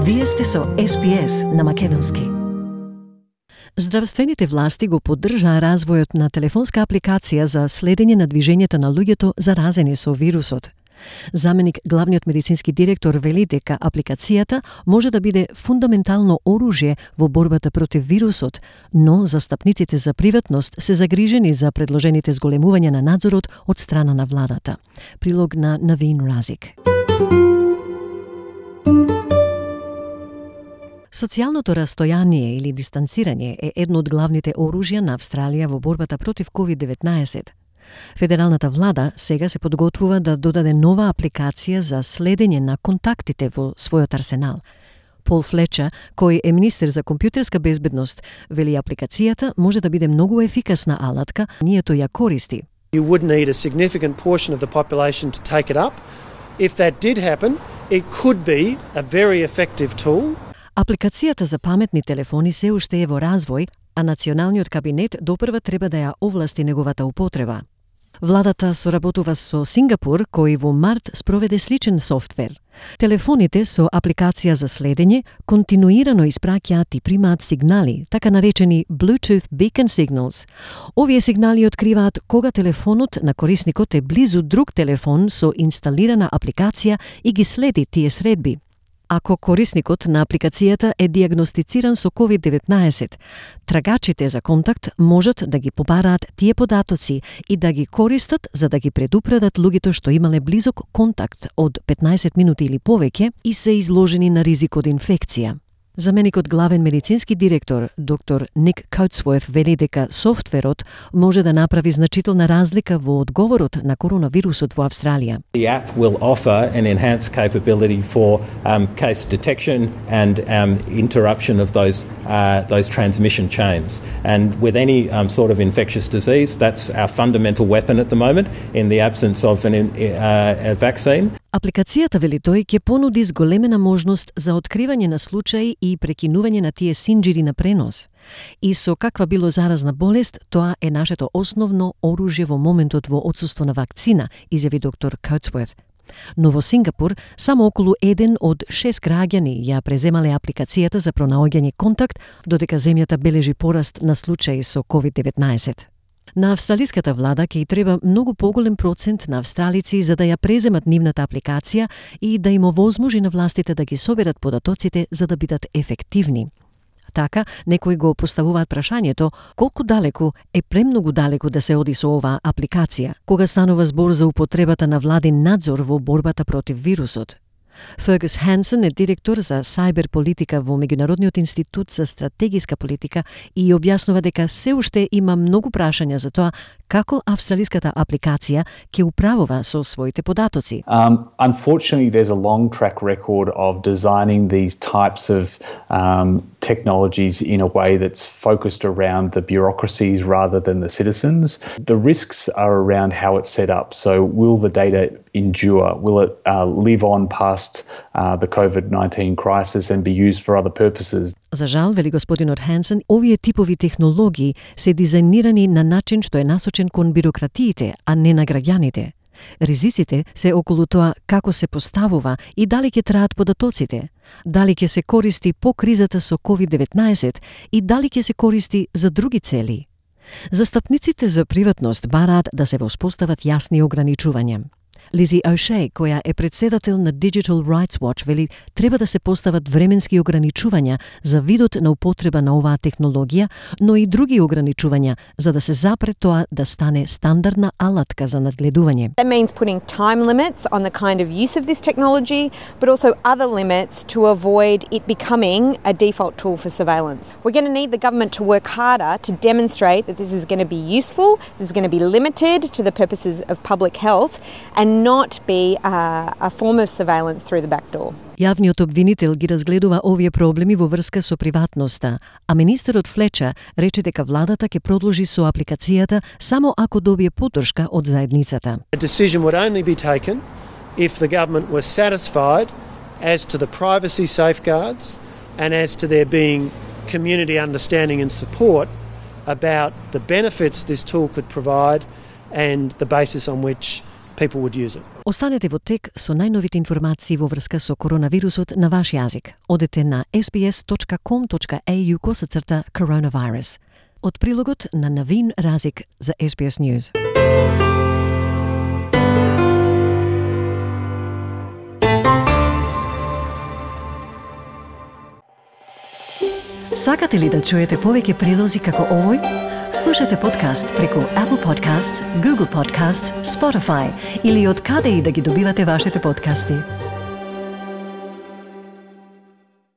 Вие сте со SPS на македонски. Здравствените власти го поддржаа развојот на телефонска апликација за следење на движењето на луѓето заразени со вирусот. Заменик главниот медицински директор вели дека апликацијата може да биде фундаментално оружје во борбата против вирусот, но застапниците за приватност се загрижени за предложените зголемувања на надзорот од страна на владата. Прилог на Навин Разик. Социјалното растојание или дистанцирање е едно од главните оружја на Австралија во борбата против COVID-19. Федералната влада сега се подготвува да додаде нова апликација за следење на контактите во својот арсенал. Пол Флечер, кој е министер за компјутерска безбедност, вели апликацијата може да биде многу ефикасна алатка, ние тој ја користи. You would need a significant portion of the population to take it up. If that did happen, it could be a very effective tool. Апликацијата за паметни телефони се уште е во развој, а националниот кабинет допрва треба да ја овласти неговата употреба. Владата соработува со Сингапур, кој во март спроведе сличен софтвер. Телефоните со апликација за следење континуирано испраќаат и примаат сигнали, така наречени Bluetooth Beacon Signals. Овие сигнали откриваат кога телефонот на корисникот е близу друг телефон со инсталирана апликација и ги следи тие средби. Ако корисникот на апликацијата е диагностициран со COVID-19, трагачите за контакт можат да ги побараат тие податоци и да ги користат за да ги предупредат луѓето што имале близок контакт од 15 минути или повеќе и се изложени на ризик од инфекција. Заменикот главен медицински директор, доктор Ник Коутсворт, вели дека софтверот може да направи значителна разлика во одговорот на коронавирусот во Австралија. The app will offer an enhanced capability for case detection and interruption of those transmission chains. And with any sort of infectious disease, that's our fundamental weapon at the moment in the absence of a vaccine. Апликацијата, вели тој, ќе понуди зголемена можност за откривање на случаи и прекинување на тие синџири на пренос. И со каква било заразна болест, тоа е нашето основно оружје во моментот во отсуство на вакцина, изјави доктор Коутсворт. Но во Сингапур само околу 1 од 6 граѓани ја преземале апликацијата за пронаоѓање контакт, додека земјата бележи пораст на случаи со COVID-19. На австралиската влада ќе и треба многу поголем процент на австралици за да ја преземат нивната апликација и да им овозможи на властите да ги соберат податоците за да бидат ефективни. Така, некои го поставуваат прашањето колку далеку е премногу далеку да се оди со оваа апликација, кога станува збор за употребата на владин надзор во борбата против вирусот. Фергус Хансен е директор за сайбер политика во Меѓународниот институт за стратегиска политика и објаснува дека се уште има многу прашања за тоа како австралиската апликација ќе управува со своите податоци. Unfortunately, there's a long track record of designing these types of technologies in a way that's focused around the bureaucracies rather than the citizens. The risks are around how it's set up. So will the data endure? Will it live on past the COVID-19 crisis and be used for other purposes? За жал, вели господинот Хансен, овие типови технологии се дизајнирани на начин што е насочен кон бирократиите, а не на граѓаните. Ризиците се околу тоа како се поставува и дали ќе траат податоците, дали ќе се користи по кризата со COVID-19 и дали ќе се користи за други цели. Застапниците за приватност бараат да се воспостават јасни ограничувања. Лизи О'Шей, која е председател на Digital Rights Watch, вели треба да се постават временски ограничувања за видот на употреба на оваа технологија, но и други ограничувања за да се запре тоа да стане стандардна алатка за надгледување. That means putting time limits on the kind of use of this technology, but also other limits to avoid it becoming a default tool for surveillance. We're going to need the government to work harder to demonstrate that this is going to be useful, this is going to be limited to the purposes of public health, and not be a form of surveillance through the back door. Јавниот обвинител ги разгледува овие проблеми во врска со приватноста, а министерот Флечер рече дека владата ќе продолжи со апликацијата само ако добие поддршка од заедницата. A decision would only be taken if the government were satisfied as to the privacy safeguards and as to there being community understanding and support about the benefits this tool could provide and the basis on which people would use it. Останете во тек со најновите информации во врска со коронавирусот на ваш јазик. Одете на sbs.com.au/coronavirus. Од прилогот на Навин Разик за SBS News. Сакате ли да чуете повеќе прилози како овој? Слушате подкаст преку Apple Podcasts, Google Podcasts, Spotify или од каде и да ги добивате вашите подкасти.